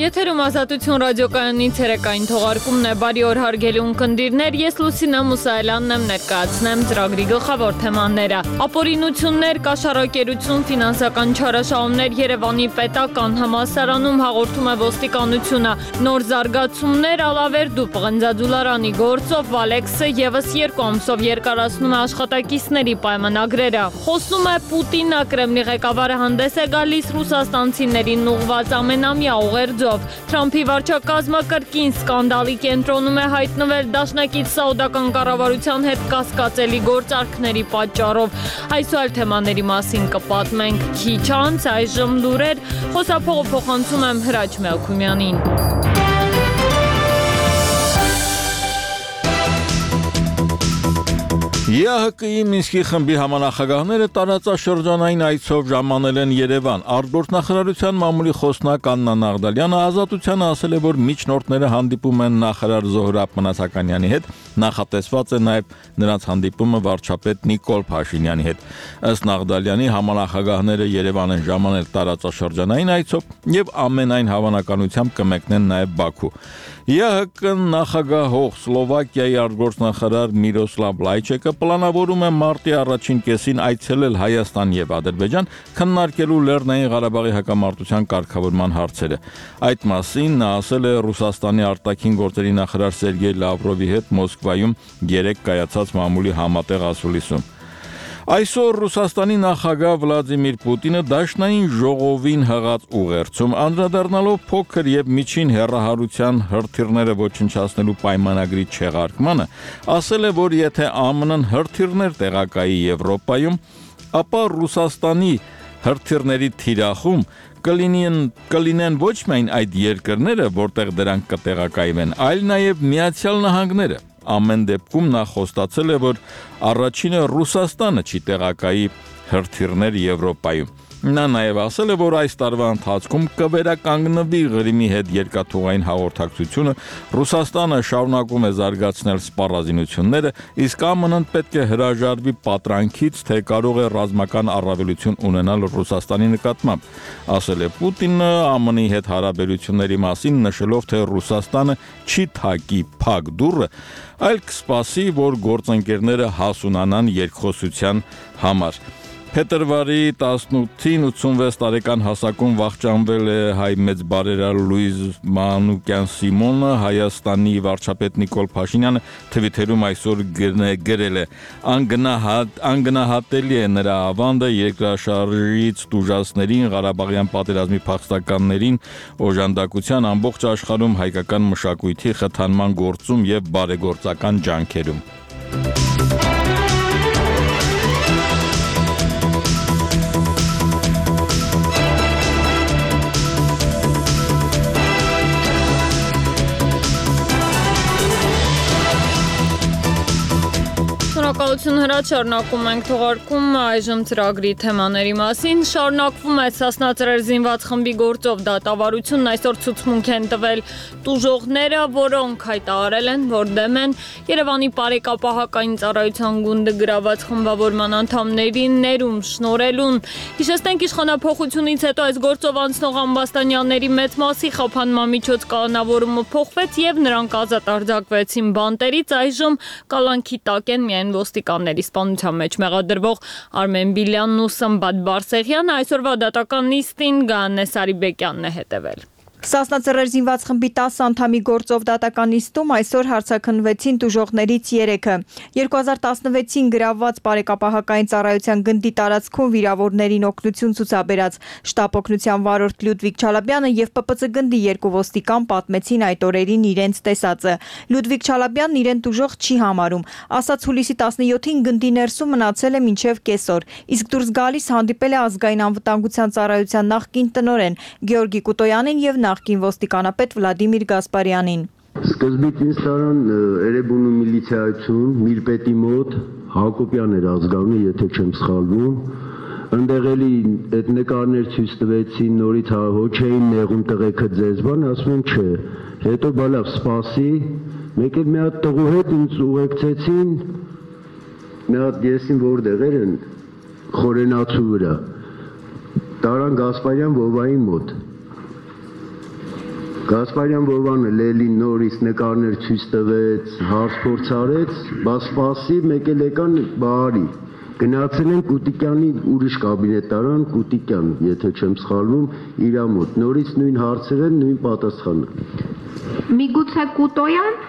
Եթերում Ազատություն ռադիոկայանի ցերեկային թողարկումն է, բարի օր հարգելի ունկնդիրներ, ես Լուսինե Մուսայելյանն եմ, ներկայացնեմ ծրագրի գլխավոր թեմաները։ Ապօրինություններ, կաշառակերություն, ֆինանսական չարաշահումներ Երևանի պետական համալսարանում հաղորդում է ոստիկանությունը։ Նոր զարգացումներ Ալավերդու պղնձաձուլարանի գործով Վալեքսը ևս 2 ամսով երկարացնում է աշխատակիցների պայմանագրերը։ Խոսում է Պուտինը, Կրեմլի ղեկավարը հանդես է գալիս ռուսաստանցիներին ուղղված ամենամյա ուղերձով։ Թրամփի վարչակազմը կրկին սկանդալի կենտրոնում է հայտնվել դաշնակից սաուդական կառավարության հետ կասկածելի գործարքների պատճառով։ Այս ու այլ թեմաների մասին կպատմենք քիչ անց, այժմ լուրեր, խոսափողը փոխանցում եմ Հրաչ Մելքումյանին։ ԵԱՀԿ-ի Մինսկի խմբի համանախագահները տարածաշրջանային այցով ժամանել են Երևան։ Արտգործնախարարության մամուլի խոսնակ Աննա Նաղդալյանը Ազատությանը ասել է, որ միջնորդները հանդիպում են նախարար Զոհրաբ Մնացականյանի հետ, նախատեսված է նաև նրանց հանդիպումը վարչապետ Նիկոլ Փաշինյանի հետ։ Ըստ Նաղդալյանի համանախագահները Երևան են ժամանել տարածաշրջանային այցով եւ ամենայն հավանականությամբ կմեկնեն նաև Բաքու։ ԵԱՀԿ նախագահող Սլովակիայի արտգործնախարար Միրոսլավ Լայչեկը պլանավորում է մարտի առաջին կեսին այցելել Հայաստան եւ Ադրբեջան քննարկելու Լեռնային Ղարաբաղի հակամարտության կարգավորման հարցերը։ Այդ մասին նա ասել է Ռուսաստանի արտաքին գործերի նախարար Սերգեյ Լավրովի հետ Մոսկվայում 3 կայացած մամուլի համատեղ ասուլիսում։ Այսօր Ռուսաստանի նախագահ Վլադիմիր Պուտինը դաշնային ժողովին հղած ուղերձում անդրադառնալով փոքր եւ միջին հեռահարության հրթիռները ոչնչացնելու պայմանագրի չեղարկմանը, ասել է, որ եթե ԱՄՆ-ն հրթիռներ տեղակայի Եվրոպայում, ապա Ռուսաստանի հրթիռների թիրախում կլինեն ոչ միայն այդ երկրները, որտեղ դրանք կտեղակայվեն, այլ նաև Միացյալ Նահանգները։ Ամեն դեպքում նա խոստացել է, որ առաջինը Ռուսաստանը չի տեղակայի հրթիռներ Եվրոպայում։ Նա նաև ասել է, որ այս տարվա ընթացքում կվերականգնվի Ղրիմի հետ երկաթուղային հաղորդակցությունը, Ռուսաստանը շարունակում է զարգացնել սպառազինությունները, իսկ ԱՄՆ-ն պետք է հրաժարվի պատրանքից, թե կարող է ռազմական առավելություն ունենալ Ռուսաստանի նկատմամբ, ասել է Պուտինը ԱՄՆ-ի հետ հարաբերությունների մասին, նշելով, թե Ռուսաստանը չի թակի փակ դուռը, այլ կսպասի, որ գործընկերները հասունանան երկխոսության համար։ Փետրվարի 18-ին 86 տարեկան հասակում վախճանվել է հայ մեծ բարերար Լուիզ Մանուկյան Սիմոնը, Հայաստանի վարչապետ Նիկոլ Փաշինյանը Թվիթերում այսօր գրել է. անգնահատելի է նրա ավանդը երկրաշարժից տուժածներին, Ղարաբաղյան պատերազմի փախստականներին, օժանդակության ամբողջ աշխարհում հայկական մշակույթի խթանման գործում եւ բարեգործական ջանքերում։ Շնորհակալություն Հրաչ, շարունակում ենք թողարկումը այժմ ծրագրի թեմաների մասին։ Շարունակվում է Սասնա զինված խմբի գործով դատավարությունն, այսօր ցուցմունք են տվել տուժողները, որոնք հայտարարել են, որ դեմ են Երևանի Բարեկապահական ծառայության գունդը գրաված խմբավորման անդամներին ներում շնորհելուն։ Հիշեցնենք, իշխանափոխությունից հետո այս գործով անցնող ամբաստանյանների մեծ մասի խափանման միջոց կանոնավորումը փոխվեց եւ նրանք ազատ արձակվեցին բանտերից, այժմ կալանքի տակ են միայն ոստիկանների սպանության մեջ մեղադրվող Արմեն Բիլյանն ու Սմբատ Բարսեղյանը, այսօրվա դատական նիստին Գայանե Սարիբեկյանն է հետևել։ Սասնա զինված խմբի 10 անդամի գործով դատական նիստում այսօր հարցաքննվեցին տուժողներից 3-ը։ 2016-ին գրավված Բարեկապահական ծառայության գնդի տարածքում վիրավորներին օգնություն ցուցաբերած շտաբ օգնության վարորդ Լյուդվիգ Չալաբյանը եւ ՊՊՑ գնդի 2 ոստիկան պատմեցին այդ օրերին իրենց տեսածը։ Լյուդվիգ Չալաբյանն իրեն տուժող չի համարում, ասաց հուլիսի 17-ին գնդի ներսում մնացել է մինչև կեսօր, իսկ դուրս գալիս հանդիպել է ազգային անվտանգության ծառայության նախկին տնօրեն Գեորգի Կուտոյանին եւ նախկին ոստիկանապետ Վլադիմիր Գասպարյանին։ Սկզբից ինձ տարան Էրեբունու միլիցիայություն, Միրպետի մոտ, Հակոբյան էր ազգանունը, եթե չեմ սխալվում, ընդեղ էլի այդ նկարներ ցույց տվեցին, նորից հոչ էին նեղում տղեկը ձեզ բան, ասում են չէ, հետո բալավ սպասի, մեկ էլ մի հատ տղու հետ ինձ ուղեկցեցին, մի հատ եսին որտեղ են, Խորենացու վրա, տարան Գասպարյան Վովայի մոտ, Գասպարյան Վովանը Լելին նորից նկարներ ցույց տվեց, հարց-փորձ արեց, բայց սպասի մեկ էլ եկան բարի։ Գնացել են Կուտիկյանի ուրիշ կաբինետարան, Կուտիկյան, եթե չեմ սխալվում, իր մոտ։ Նորից նույն հարցեր են, նույն պատասխանը։ Միգուցե Կուտոյան։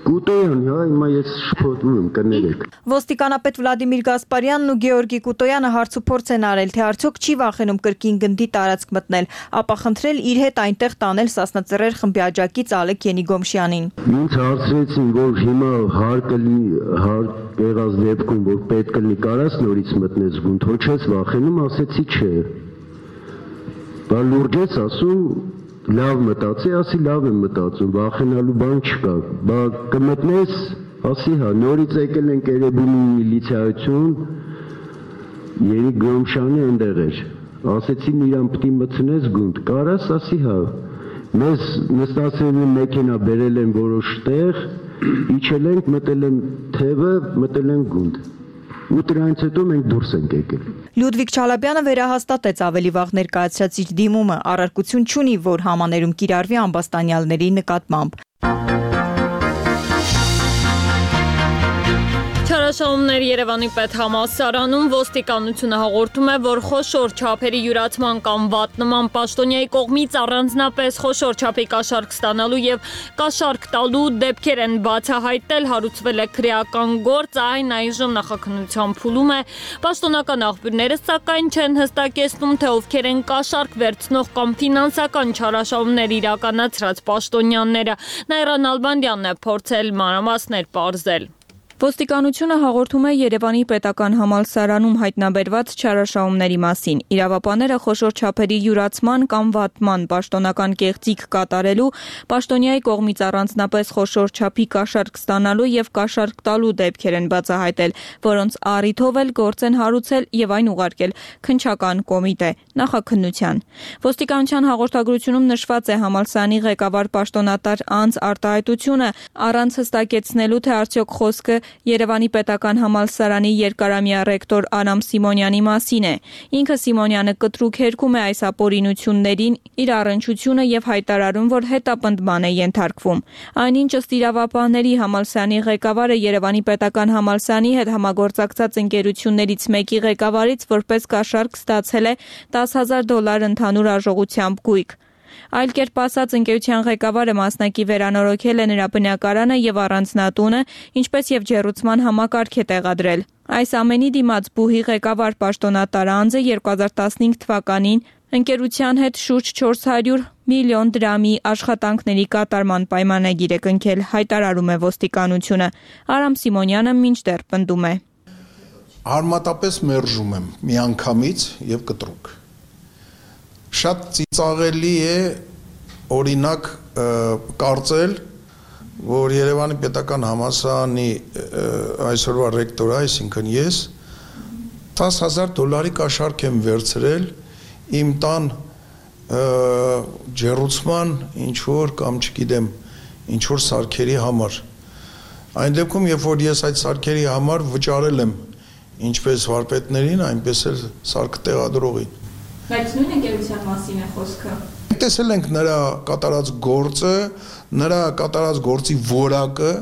Կուտոյան, հա, հիմա ես շփոթվում եմ, կներեք։ Ոստիկանապետ Վլադիմիր Գասպարյանն ու Գեորգի Կուտոյանը հարցուփորձ են արել, թե արդյոք չի վախենում կրկին գնդի տարածք մտնել, ապա խնդրել իր հետ այնտեղ տանել Սասնա-Ծռեր խմբի աջակից Ալեք Ենիգոմշյանին։ Ինձ հարցրեցին, որ հիմա հարկ եղած դեպքում, որ պետք է կարաս նորից մտնես գունդ, ոչ ես վախենում, ասեցի չէ։ Բա լուրջ ես ասում, լավ մտածի, ասի լավ եմ մտածում, վախենալու բան չկա, բա կմտնես, ասի հա, նորից եկել ենք Էրեբունի միլիցիայություն, Երիկ Գոմշյանի ընդեղ էր, ասեցին իրան պտի մտնես գունդ, կարաս, ասի հա, մեզ նստացել են մեքենա բերել են որոշ տեղ, իջել ենք, մտել են թևը, մտել են գունդ, ու դրանից հետո մենք դուրս ենք եկել։ Լյուդվիգ Չալաբյանը վերահաստատեց ավելի վաղ ներկայացրած իր դիմումը, առարկություն չունի, որ համաներում կիրառվի ամբաստանյալների նկատմամբ։ Չարաշահումներ Երևանի պետհամալսարանում ոստիկանությունը հաղորդում է, որ խոշոր չափերի յուրացման կամ վատ նման պաշտոնյայի կողմից առանձնապես խոշոր չափի կաշառք ստանալու եւ կաշառք տալու դեպքեր են բացահայտել, հարուցվել է քրեական գործ, այն այժմ նախաքննության փուլում է։ Պաշտոնական աղբյուրները սակայն չեն հստակեցնում, թե ովքեր են կաշառք վերցնող կամ ֆինանսական չարաշահումներ իրականացրած պաշտոնյաները։ Նաիրա Նալբանդյանն է փորձել մանրամասներ պարզել։ Ոստիկանությունը հաղորդում է Երևանի պետական համալսարանում հայտնաբերված չարաշահումների մասին։ Իրավապանները խոշոր չափերի յուրացման կամ վատման պաշտոնական կեղծիք կատարելու, պաշտոնյայի կողմից առանձնապես խոշոր չափի կաշառք ստանալու եւ կաշառք տալու դեպքեր են բացահայտել, որոնց առիթով էլ գործ են հարուցել եւ այն ուղարկել քննչական կոմիտե նախաքննության։ Ոստիկանության հաղորդագրությունում նշված է համալսարանի ղեկավար պաշտոնատար անձ արտահայտությունը առանց հստակեցնելու, թե արդյոք խոսքը Երևանի պետական համալսարանի երկարամյա ռեկտոր Արամ Սիմոնյանի մասին է։ Ինքը Սիմոնյանը կտրուկ հերքում է այս ապօրինություններին, իր առնչությունը եւ հայտարարում, որ հետապնդման է ենթարկվում։ Այնինչ ըստ իրավապահների համալսարանի ղեկավարը Երևանի պետական համալսարանի հետ համագործակցած ընկերություններից մեկի ղեկավարից որպես կաշառք ստացել է $10,000 ընդհանուր արժողությամբ գույք։ Այլ կերպ ասած, ընկերության ղեկավարը մասնակի վերանորոգել է նրա բնակարանը եւ առանձնատունը, ինչպես եւ ջեռուցման համակարգ է տեղադրել։ Այս ամենի դիմաց բուհի ղեկավար պաշտոնատար անձը 2015 թվականին ընկերության հետ շուրջ 400 միլիոն դրամի աշխատանքների կատարման պայմանագիր է կնքել, հայտարարում է ոստիկանությունը։ Արամ Սիմոնյանը մինչդեռ պնդում է. Արմատապես մերժում եմ միանգամից եւ կտրուկ։ Շատ ծիծաղելի է օրինակ կարծել, որ Երևանի պետական համալսարանի այսօրվա ռեկտորը, այսինքն ես, $10,000 կաշառք եմ վերցրել իմ տան ջեռուցման ինչ-որ կամ չգիտեմ ինչ-որ սարքերի համար։ Այն դեպքում, երբ որ ես այդ սարքերի համար վճարել եմ ինչպես վարպետներին, այնպես էլ սարքը տեղադրողին։ Բայց նույն ընկերության մասին է խոսքը։ Տեսել ենք նրա կատարած գործը, նրա կատարած գործի որակը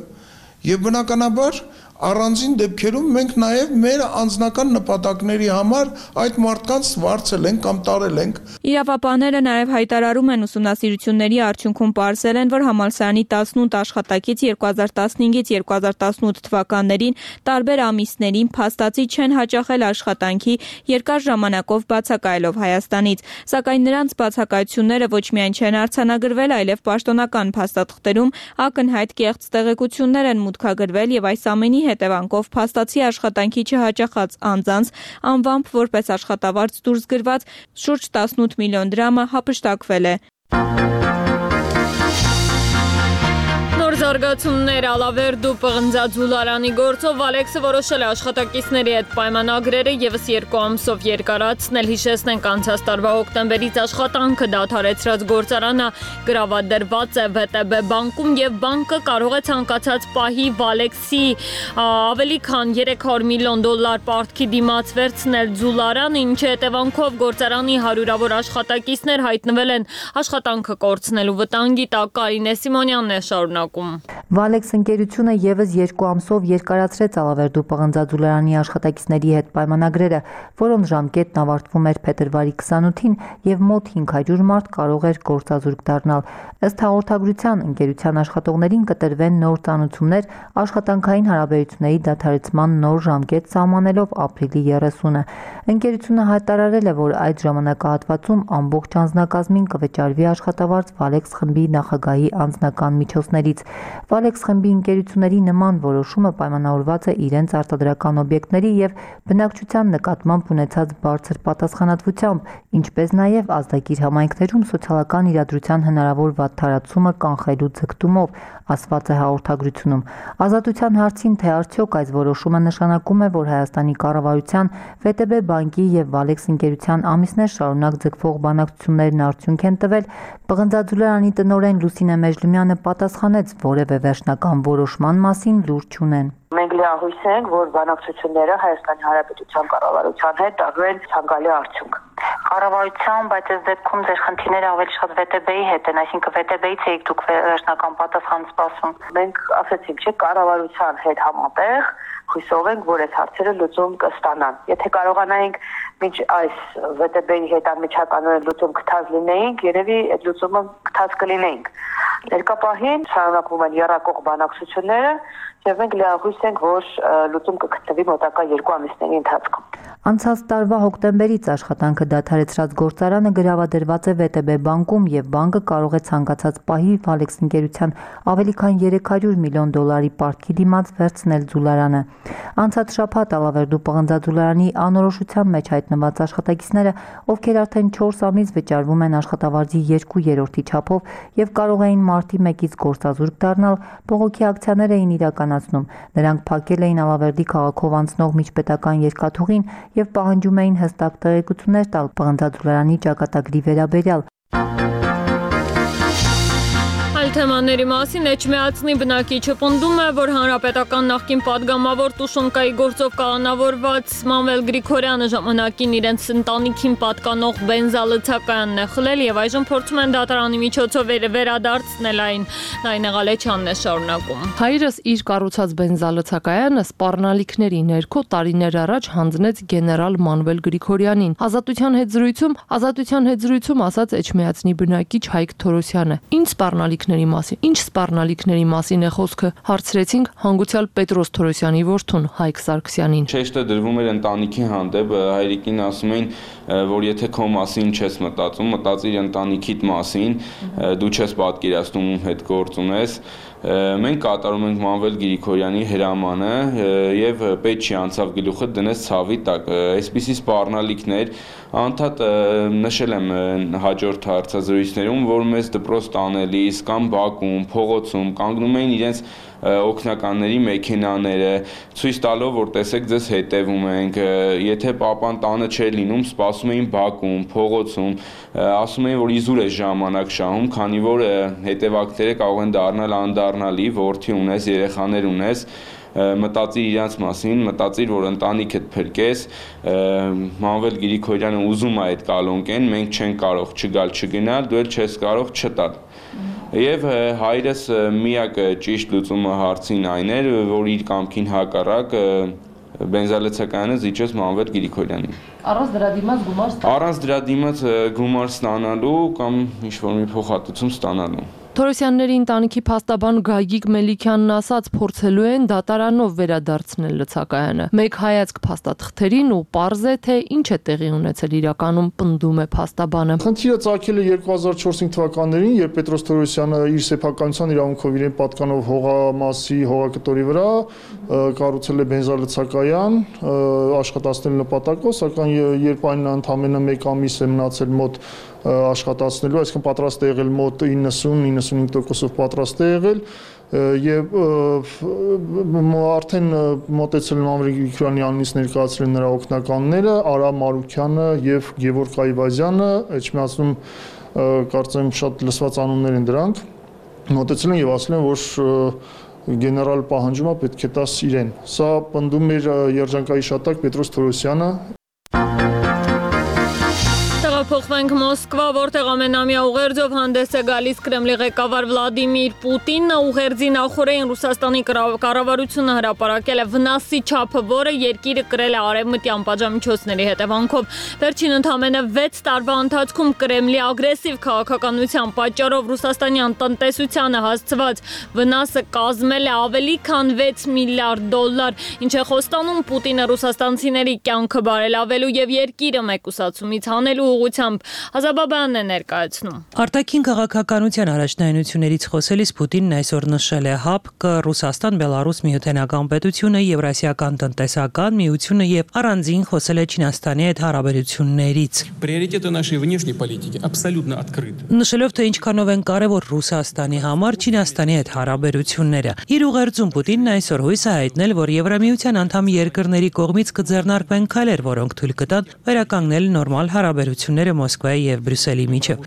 եւ բնականաբար առանձին դեպքերում մենք նաև մեր անձնական նպատակների համար այդ մարդկանց վարձել ենք կամ տարել ենք։ Իրավապահները նաև հայտարարում են ուսումնասիրությունների արդյունքում պարզել են, որ համալսարանի 18 աշխատակից 2015-ից 2018 թվականներին տարբեր ամիսներին փաստացի չեն հաճախել աշխատանքի երկար ժամանակով բացակայելով Հայաստանից, սակայն նրանց բացակայությունները ոչ միայն չեն արձանագրվել, այլև պաշտոնական փաստաթղթերում ակնհայտ կեղծ տեղեկություններ են մուտքագրվել եւ այս ամենի հետևանքով փաստացի աշխատանքի չհաճախած անձանց անվամբ որպես աշխատավարձ դուրս գրված շուրջ 18 միլիոն դրամը հափշտակվել է։ զարգացումներ Ալավերդու պղնձաձուլարանի գործով Ալեքսը որոշել է աշխատակիցների հետ պայմանագրերը եւս 2 ամսով երկարացնել։ Հիշեցնենք, անցած տարվա հոկտեմբերից աշխատանքը դադարեցրած գործարանը գրավադրված է ՎՏԲ բանկում եւ բանկը կարող է ցանկացած պահի Ալեքսի ավելի քան $300 միլիոն պարտքի դիմաց վերցնել ձուլարանը, ինչի հետևանքով գործարանի հարյուրավոր աշխատակիցներ հայտնվել են աշխատանքը կորցնելու վտանգի տակ։ Կարինե Սիմոնյանն է շարունակում։ Վալեքս ընկերությունը եւս 2 ամսով երկարացրեց Ալավերդու պղնձաձուլարանի աշխատակիցների հետ պայմանագրերը, որոնց ժամկետն ավարտվում էր փետրվարի 28-ին եւ մոտ 500 մարդ կարող էր գործազուրկ դառնալ։ Ըստ հաղորդագրության, ընկերության աշխատողներին կտրվեն նոր ծանուցումներ աշխատանքային հարաբերությունների դադարեցման նոր ժամկետ սահմանելով ապրիլի 30-ը։ Ընկերությունը հայտարարել է, որ այդ ժամանակահատվածում ամբողջ անձնակազմին կվճարվի աշխատավարձ Վալեքս խմբի նախագահի անձնական միջոցներից։ Վալեքս խմբի ընկերությունների նման որոշումը պայմանավորված է իրենց արտադրական օբյեկտների եւ բնակչության նկատմամբ ունեցած բարձր պատասխանատվությամբ, ինչպես նաեւ ազդագիր համայնքներում սոցիալական իրադրության հնարավոր վատթարացումը կանխելու ձգտումով, ասված է հաղորդագրությունում։ Ազատության հարցին, թե արդյոք այս որոշումը նշանակում է, որ Հայաստանի կառավարության, ՎՏԲ բանկի եւ Վալեքս ընկերության ամիսներ շարունակ ձգվող բանակցություններն արդյունք են տվել, պղնձաձուլարանի տնօրեն Լուսինե Մեժլիմյանը պատասխանեց, որևէ վերջնական որոշման մասին լուր չունեն։ Մենք լիահույս ենք, որ բանակցությունները Հայաստանի Հանրապետության կառավարության հետ տալու են ցանկալի արդյունք։ Կառավարության, բայց այս դեպքում ձեր խնդիրները ավելի շատ ՎՏԲ-ի հետ են, այսինքն ՎՏԲ-ից եք դուք վերջնական պատասխան սպասում։ Մենք ասացինք, չէ, կառավարության հետ համատեղ հույսով ենք, որ այս հարցերը լուծում կստանան։ Եթե կարողանայինք մինչ այս ՎՏԲ-ի հետ անմիջականորեն լուծում գտած լինեինք, երևի այդ լուծումը գտած կլինեինք։ Ներկա պահին շարունակվում են եռակող բանակցությունները եւ մենք լիահույս ենք, որ լուծում կգտնվի մոտակա 2 ամիսների ընթացքում։ Անցած տարվա հոկտեմբերից աշխատանքը դադարեցրած գործարանը գրավադրված է ՎՏԲ բանկում եւ բանկը կարող է ցանկացած պահի Վալեքս ընկերության ավելի քան $300 միլիոն պարտքի դիմաց վերցնել ձուլարանը։ Անցած շաբաթ Ալավերդու պղնձաձուլարանի անորոշության մեջ հայտնված աշխատակիցները, ովքեր արդեն 4 ամիս վճարվում են աշխատավարձի 2/3 չափով եւ կարող էին մարտի 1-ից գործազուրկ դառնալ, բողոքի ակցիաներ էին իրականացնում։ Նրանք փակել էին Ալավերդի քաղաքով անցնող միջպետական երկաթուղին եւ պահանջում էին հստակ տեղեկություններ տալ պղնձաձուլարանի ճակատագրի վերաբերյալ։ Թեմաների մասին Էջմիածնի բնակիչը պնդում է, որ հանրապետական նախկին պատգամավոր Տուշոնկայի գործով կալանավորված Մանվել Գրիգորյանը ժամանակին իրենց ընտանիքին պատկանող բենզալցակայանն է խլել եւ այժմ փորձում են դատարանի միջոցով վերադարձնել այն։ Նայնե Ղալեչյանն է շարունակում։ Հայրս իր կառուցած բենզալցակայանը սպառնալիքների ներքո տարիներ առաջ հանձնեց գեներալ Մանվել Գրիգորյանին։ Ազատության հետ զրույցում ասաց Էջմիածնի բնակիչ Հայկ Թորոսյանը։ Ինչ սպառնալիքների մասին, ինչ սպառնալիքների մասին է խոսքը, հարցրեցինք հանգուցյալ Պետրոս Թորոսյանի որդուն Հայկ Սարգսյանին։ Շեշտը դրվում էր ընտանիքի հանդեպ, հայրիկին ասում էին, որ եթե քո մասին չես մտածում, մտածիր ընտանիքիդ մասին, դու չես պատկերացնում ում հետ գործ ունես։ Մենք կատարում ենք Մանվել Գրիգորյանի հրամանը եւ պետք չի անցավ գլուխը դնես ցավի տակ։ Այսպիսի սպառնալիքներ անդադ նշել եմ հաջորդ հարցազրույցներում, որ մեզ դպրոց տանելիս կամ բակում, փողոցում կանգնում էին իրենց օգնականների մեքենաները, ցույց տալով, որ տեսեք ձեզ հետևում ենք, եթե papan տանը չէր լինում, սպասում էին բակում, փողոցում, ասում էին, որ իզուր է ժամանակ շահում, քանի որ հետևակները կարող են դառնալ անդառնալի, որդի ունես, երեխաներ ունես, մտածիր իրանց մասին, մտածիր, որ ընտանիքդ փրկես, Մանվել Գրիգորյանը ուզում է այդ կալոնկեն, մենք չենք կարող չգալ չգնալ, դու էլ չես կարող չտալ։ Եվ հայրս միակ ճիշտ լուծումը հարցին այն էր, որ իր կամքին հակառակ բենզալցակայանը զիջեց Մանվել Գրիգորյանին։ Առանց դրա դիմաց գումար ստանալու կամ ինչ-որ մի փոխհատուցում ստանալու։ Թորոսյանների ընտանիքի փաստաբան Գագիկ Մելիքյանն ասաց, փորձելու են դատարանով վերադարձնել լցակայանը։ Մեկ հայացք փաստաթղթերին ու պարզ է, թե ինչ է տեղի ունեցել իրականում, պնդում է փաստաբանը։ Խնդիրը ծագել է 2005 թվականներին, երբ Պետրոս Թորոսյանը իր սեփականության իրավունքով իրեն պատկանող հողամասի հողակտորի վրա կառուցել է բենզալցակայան աշխատացնելու նպատակով, սակայն երբ այն ընդամենը 1 ամիս է մնացել մոտ աշխատացնելու, այսինքն պատրաստ է եղել մոտ 90-95%-ով պատրաստ է եղել, եւ արդեն մոտեցել եմ Ամիրիկ Գրիգորյանի անունից ներկայացրել նրա օգնականները Արա Մարուկյանը եւ Գևորգ Այվազյանը, Էջմիածնում կարծեմ շատ լսված անուններ են դրանք, մոտեցել են եւ ասել են, որ գեներալ պահանջումը պետք է տաս իրեն։ Սա պնդում էր երջանկայի շատակ Պետրոս Թորոսյանը։ Փոխվենք Մոսկվա, որտեղ ամենամյա ուղերձով հանդես է գալիս Կրեմլի ղեկավար Վլադիմիր Պուտինը, ուղերձի նախօրեին Ռուսաստանի կառավարությունը հրապարակել է վնասի չափը, որը երկիրը կրել է արևմտյան պատժամիջոցների հետևանքով։ Վերջին ընդամենը 6 տարվա ընթացքում Կրեմլի ագրեսիվ քաղաքականության պատճառով Ռուսաստանյան տնտեսությանը հասցված վնասը կազմել է ավելի քան 6 միլիարդ դոլար, ինչ է խոստանում Պուտինը ռուսաստանցիների կյանքը բարելավելու եւ երկիրը մեկուսացումից հանելու ուղղությամբ։ Ազաբաբյանն է ներկայացնում։ Արտաքին քաղաքականության առաջնայնություններից խոսելիս Պուտինն այսօր նշել է ՀԱՊԿ, Ռուսաստան, Բելարուս միութենական պետությունը, Եվրասիական տնտեսական միությունը եւ առանձին խոսել է Չինաստանի հետ հարաբերություններից։ Приоритеты нашей внешней политики абсолютно открыты։ Նշելով թե ինչքանով են կարևոր Ռուսաստանի համար Չինաստանի հետ հարաբերությունները։ Իր ուղերձում Պուտինն այսօր հույս է հայտնել, որ Եվրամիության անդամ երկրների կողմից կձեռնարկվեն քայլեր, որոնք թույլ կտան վերականգնել նորմալ հարաբերությունները Մոսկվայի եւ Բրյուսելի միջև։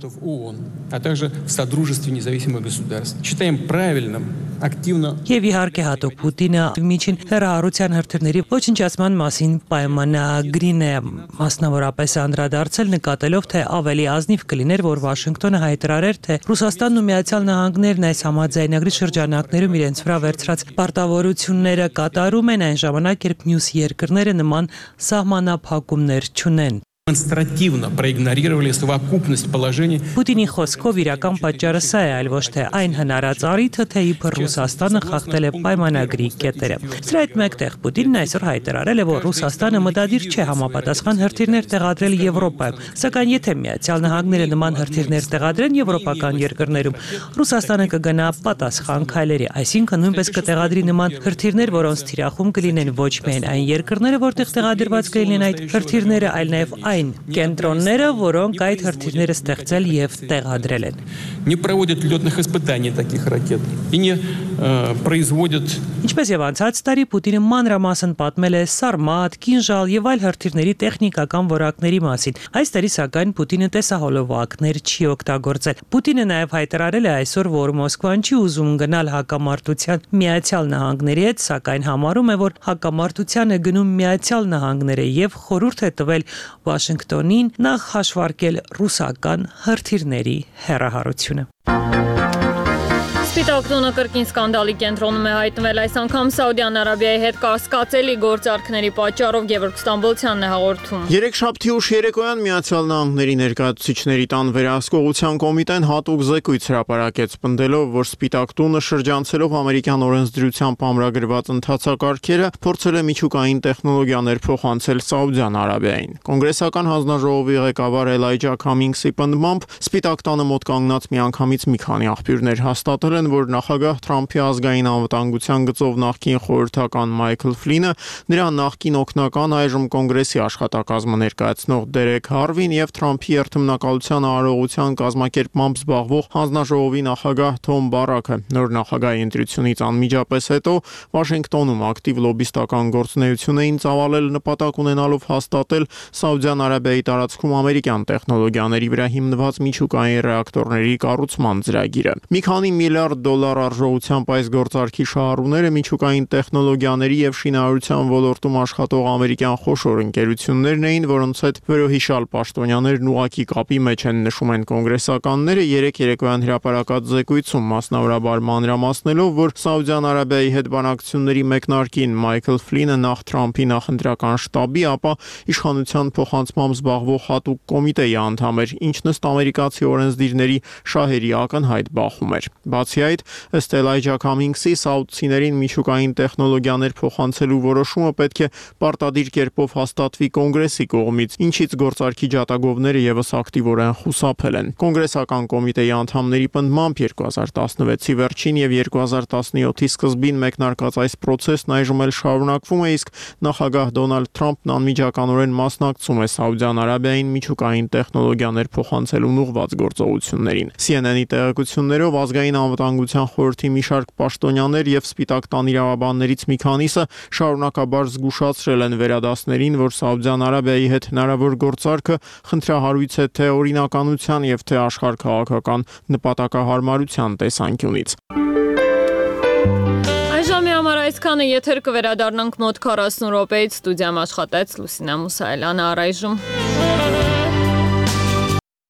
А также в содружестве независимых государств. Считаем правильным активно Եվ իհարկե հատուկ Պուտինը միջին հեռահարության հրթիռների ոչնչացման մասին պայմանագրին է մասնավորապես անդրադարձել, նկատելով թե ավելի ազնիվ կլիներ, որ Վաշինգտոնը հայտարարեր, թե Ռուսաստանն ու Միացյալ Նահանգներն այս համաձայնագրի շրջանակներում իրենց վրա վերցրած պարտավորությունները կատարում են այն ժամանակ, երբ մյուս երկրները նման սահմանափակումներ չունեն։ Демонстративно проигнорировали совокупность положений։ Պուտինի խոսքով իրական պատճառը սա է, այլ ոչ թե այն հնարած առիթը, թե իբր Ռուսաստանը խախտել է պայմանագրի կետերը։ Սրա հետ մեկտեղ Պուտինն այսօր հայտարարել է, որ Ռուսաստանը մտադիր չէ համապատասխան հրթիռներ տեղադրել Եվրոպայում, սակայն եթե Միացյալ Նահանգները նման հրթիռներ տեղադրեն եվրոպական երկրներում, Ռուսաստանը կգնա պատասխան քայլերի, այսինքն նույնպես կտեղադրի նման հրթիռներ, որոնց թիրախում կլինեն ոչ միայն այն երկրները, որտեղ տեղադրված կլինեն այդ հրթիռները, այլ նաև այն կենտրոնները, որոնք այդ հրթիռները ստեղծել եւ տեղադրել են։ Не проводят лётных испытаний таких ракет и не производят։ Ինչպես եւ անցած տարի Պուտինը մանրամասն պատմել է Սարմատ, Կինժալ եւ այլ հրթիռների տեխնիկական որակների մասին։ Այս տարի սակայն Պուտինը տեսահոլովակներ չի օգտագործել։ Պուտինը նաեւ հայտարարել է այսօր, որ Մոսկվան չի ուզում գնալ հակամարտության Միացյալ Նահանգների հետ, սակայն համարում է, որ հակամարտության է գնում Միացյալ Նահանգները եւ խորհուրդ է տվել Վաշինգտոնին նախ հաշվարկել ռուսական հրթիռների հեռահարությունը։ Սպիտակ տունը կրկին սկանդալի կենտրոնում է հայտնվել այս անգամ Սաուդյան Արաբիայի հետ կասկածելի գործարքների պատճառով Գևորգ Ստամբոլցյանն է հաղորդում։ Երեքշաբթի ուշ երեկոյան Միացյալ Նահանգների ներկայացուցիչների տան վերահսկողության կոմիտեն հատուկ զեկույց հրապարակեց, պնդելով, որ Սպիտակ տունը շրջանցելով ամերիկյան օրենսդրությամբ ամրագրված ընթացակարգերը փորձել է միջուկային տեխնոլոգիաներ փոխանցել Սաուդյան Արաբիային։ Կոնգրեսական հանձնաժողովի ղեկավար Էլայջա Քամինգսի պնդմամբ Սպիտակ տանը մոտ կանգնած միանգամից մի քանի աղբյուրներ հաստատել են, որ նախագահ Թրամփի ազգային անվտանգության գծով նախկին խորհրդական Մայքլ Ֆլինը, նրա նախկին օգնական այժմ կոնգրեսի աշխատակազմը ներկայացնող Դերեկ Հարվին եւ Թրամփի երթմնակալության արարողության կազմակերպմամբ զբաղվող հանձնաժողովի նախագահ Թոմ Բարաքը նոր նախագահի ընտրությունից անմիջապես հետո Վաշինգտոնում ակտիվ լոբիստական գործունեություն էին ծավալել նպատակ ունենալով հաստատել Սաուդյան Արաբիայի տարածքում ամերիկյան տեխնոլոգիաների վրա հիմնված միջուկային ռեակտորների կառուցման ծրագիրը։ Մի քանի միլիարդ դոլար արժողությամբ այս գործարքի շահառուները միջուկային տեխնոլոգիաների եւ շինարարության ոլորտում աշխատող ամերիկյան խոշոր ընկերություններն էին, որոնց հետ վերոհիշալ պաշտոնյաներն ուղակի կապի մեջ են, նշում են կոնգրեսականները երեք երեկոյան հրապարակած զեկույցում, մասնավորաբար մանրամասնելով, որ Սաուդյան Արաբիայի հետ բանակցությունների մեկնարկին Մայքլ Ֆլինը նախ Թրամփի նախընտրական շտաբի, ապա իշխանության փոխանցմամբ զբաղվող հատուկ կոմիտեի անդամ էր, ինչն ըստ ամերիկացի օրենսդիրների շահերի ակնհայտ բախում էր։ Բացի այդ, ըստ Էլայջա Քամինգսի, սաուդցիներին միջուկային տեխնոլոգիաներ փոխանցելու որոշումը պետք է պարտադիր կերպով հաստատվի կոնգրեսի կողմից, ինչից գործարքի ջատագովները եւս ակտիվորեն խուսափել են։ Կոնգրեսական կոմիտեի անդամների պնդմամբ 2016-ի վերջին եւ 2017-ի սկզբին մեկնարկած այս process-ն այժմ էլ շարունակվում է, իսկ նախագահ Դոնալդ Թրամփն անմիջականորեն մասնակցում է Սաուդյան Արաբիային միջուկային տեխնոլոգիաներ փոխանցելուն ուղղված գործողություններին։ CNN-ի տեղեկություններով ազգային անվտանգության անվտանգության խորհրդի մի շարք պաշտոնյաներ եւ Սպիտակ տան իրավաբաններից մի քանիսը շարունակաբար զգուշացրել են վերադասներին, որ Սաուդյան Արաբիայի հետ հնարավոր գործարքը խնդրահարույց է թե օրինականության եւ թե աշխարհքաղաքական նպատակահարմարության տեսանկյունից։ Այժմ համար այսքանը, եթեր կվերադառնանք մոտ 40 րոպեից, ստուդիայում աշխատեց Լուսինե Մուսայելյանը, առայժմ